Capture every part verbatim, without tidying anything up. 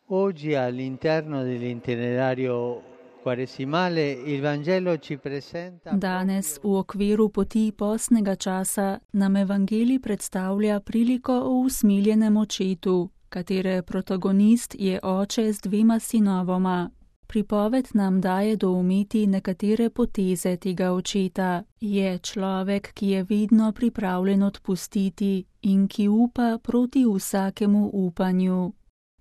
Oggi all'interno dell'itinerario quaresimale il Vangelo ci presenta. Danes v okviru poti postnega časa nam evangelij predstavlja priliko o usmiljenem očetu, katere protagonist je oče z dvema sinovoma. Pripoved nam daje doumeti nekatere poteze tega očeta. Je človek, ki je vedno pripravljen odpustiti in ki upa proti vsakemu upanju.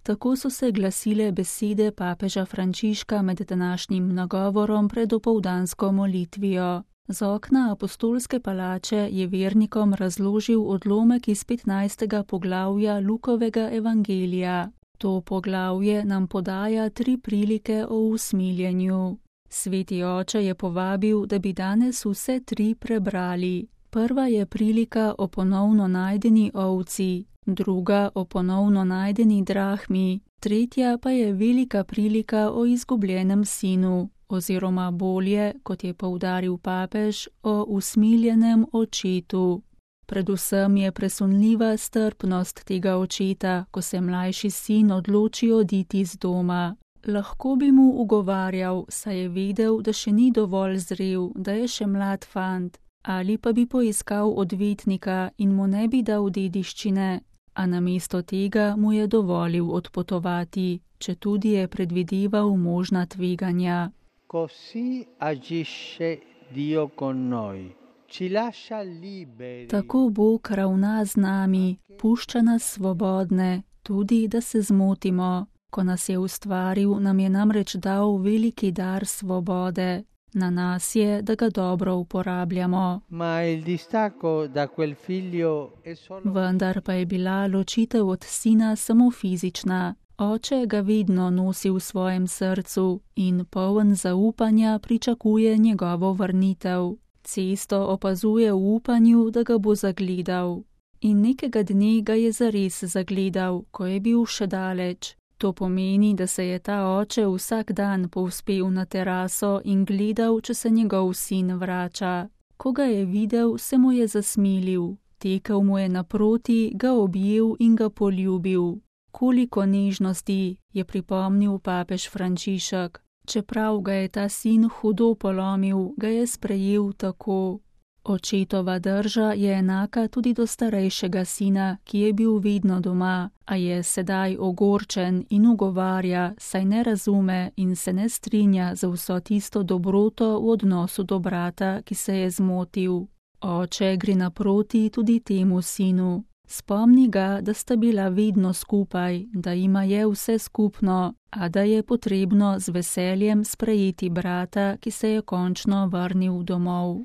Tako so se glasile besede papeža Frančiška med današnjim nagovorom pred opoldansko molitvijo. Z okna apostolske palače je vernikom razložil odlomek iz petnajstega poglavja Lukovega evangelija. To poglavje nam podaja tri prilike o usmiljenju. Sveti oče je povabil, da bi danes vse tri prebrali. Prva je prilika o ponovno najdeni ovci, druga o ponovno najdeni drahmi, tretja pa je velika prilika o izgubljenem sinu, oziroma bolje, kot je poudaril papež, o usmiljenem očetu. Predvsem je presunljiva strpnost tega očeta, ko se mlajši sin odloči oditi z doma. Lahko bi mu ugovarjal, saj je vedel, da še ni dovolj zrel, da je še mlad fant, ali pa bi poiskal odvetnika in mu ne bi dal dediščine, a namesto tega mu je dovolil odpotovati, četudi je predvideval možna tveganja. Così agisce Dio con noi. Ci lascia liberi. Tako Bog ravna z nami, pušča nas svobodne, tudi da se zmotimo. Ko nas je ustvaril, nam je namreč dal veliki dar svobode. Na nas je, da ga dobro uporabljamo. Ma il distacco da quel figlio è solo... Vendar pa je bila ločitev od sina samo fizična. Oče ga vedno nosi v svojem srcu in poln zaupanja pričakuje njegovo vrnitev. Cesto opazuje v upanju, da ga bo zagledal. In nekega dne ga je zares zagledal, ko je bil še daleč. To pomeni, da se je ta oče vsak dan povzpel na teraso in gledal, če se njegov sin vrača. Ko ga je videl, se mu je zasmilil. Tekel mu je naproti, ga objel in ga poljubil. Koliko nežnosti, je pripomnil papež Frančišek. Čeprav ga je ta sin hudo polomil, ga je sprejel tako. Očetova drža je enaka tudi do starejšega sina, ki je bil vedno doma, a je sedaj ogorčen in ugovarja, saj ne razume in se ne strinja za vso tisto dobroto v odnosu do brata, ki se je zmotil. Oče gre naproti tudi temu sinu. Spomni ga, da sta bila vedno skupaj, da ima je vse skupno, a da je potrebno z veseljem sprejeti brata, ki se je končno vrnil domov.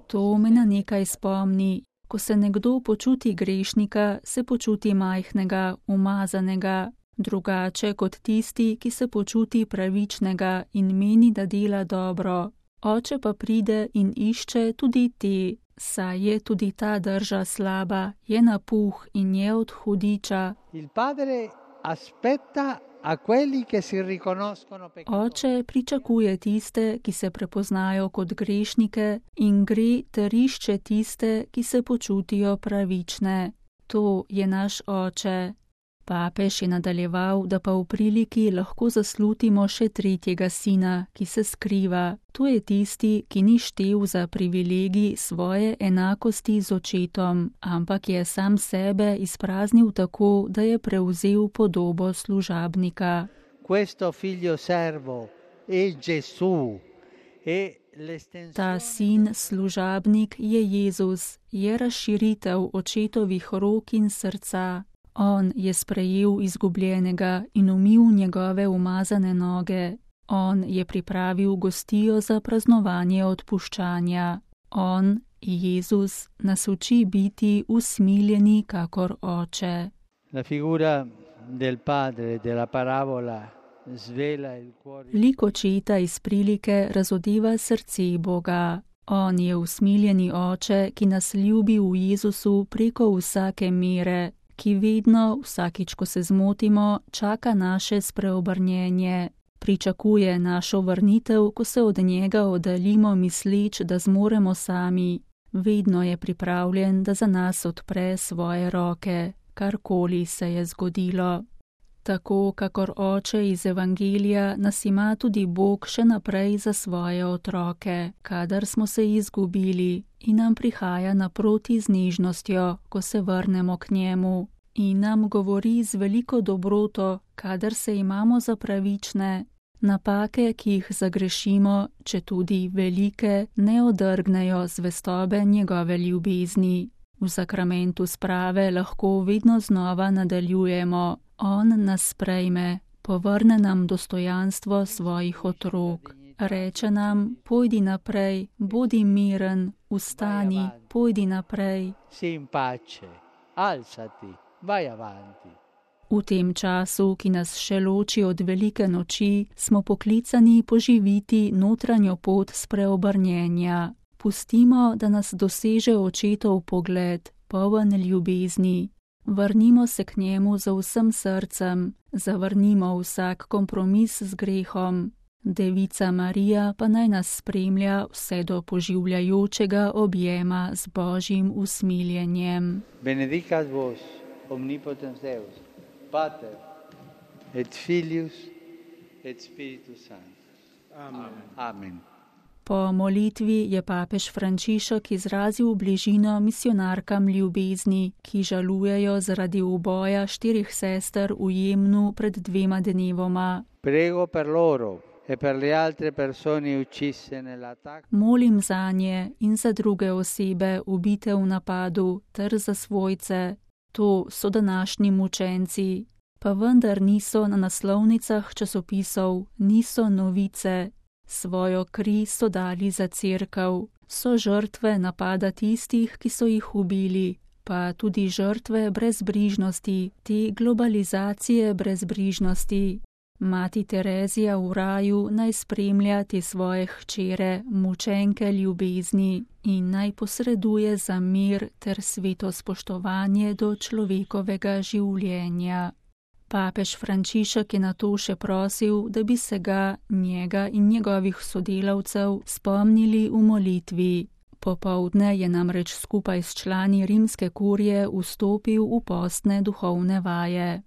To me na nekaj spomni. Ko se nekdo počuti grešnika, se počuti majhnega, umazanega, drugače kot tisti, ki se počuti pravičnega in meni, da dela dobro. Oče pa pride in išče tudi te. Saj je tudi ta drža slaba, je napuh in je od hudiča. Oče pričakuje tiste, ki se prepoznajo kot grešnike, in gre ter išče tiste, ki se počutijo pravične. To je naš oče. Papež je nadaljeval, da pa v priliki lahko zaslutimo še tretjega sina, ki se skriva. To je tisti, ki ni štel za privilegij svoje enakosti z očetom, ampak je sam sebe izpraznil tako, da je prevzel podobo služabnika. Ta sin, služabnik, je Jezus, je razširitev očetovih rok in srca. On je sprejel izgubljenega in umil njegove umazane noge. On je pripravil gostijo za praznovanje odpuščanja. On, Jezus, nas uči biti usmiljeni kakor oče. Lik očeta iz prilike razodeva srce Boga. On je usmiljeni oče, ki nas ljubi v Jezusu preko vsake mere, ki vedno, vsakič, ko se zmotimo, čaka naše spreobrnjenje. Pričakuje našo vrnitev, ko se od njega oddaljimo misleč, da zmoremo sami. Vedno je pripravljen, da za nas odpre svoje roke. karkoli se je zgodilo. Tako kakor oče iz Evangelija nas ima tudi Bog še naprej za svoje otroke, kadar smo se izgubili, in nam prihaja naproti z nežnostjo, ko se vrnemo k njemu, in nam govori z veliko dobroto, kadar se imamo za pravične. Napake, ki jih zagrešimo, četudi velike, ne odrgnejo zvestobe njegove ljubezni. V sakramentu sprave lahko vedno znova nadaljujemo. On nas sprejme, povrne nam dostojanstvo svojih otrok. Reče nam, pojdi naprej, bodi miren, vstani, pojdi naprej. Sii in pace, alzati, vai avanti. V tem času, ki nas še loči od velike noči, smo poklicani poživiti notranjo pot spreobrnjenja. Pustimo, da nas doseže očetov pogled, poln ljubezni. Vrnimo se k njemu z vsem srcem, zavrnimo vsak kompromis z grehom. Devica Marija pa naj nas spremlja vse do poživljajočega objema z Božjim usmiljenjem. Benedicat vos, omnipotens Deus, Pater, et Filius, et Spiritus Sanctus. Amen. Amen. Po molitvi je papež Frančišek izrazil bližino misionarkam ljubezni, ki žalujejo zaradi uboja štirih sester v Jemnu pred dvema dnevoma. Prego per loro e per le altre persone uccise nell'attacco. Molim zanje in za druge osebe ubite v napadu ter za svojce. To so današnji mučenci, pa vendar niso na naslovnicah časopisov, niso novice. Svojo kri so dali za cerkev, so žrtve napada tistih, ki so jih ubili, pa tudi žrtve brezbrižnosti, te globalizacije brezbrižnosti. Mati Terezija v raju naj spremlja te svoje hčere, mučenke ljubezni, in naj posreduje za mir ter sveto spoštovanje do človekovega življenja. Papež Frančišek je nato še prosil, da bi se ga, njega in njegovih sodelavcev spomnili v molitvi. Popoldne je namreč skupaj s člani rimske kurije vstopil v postne duhovne vaje.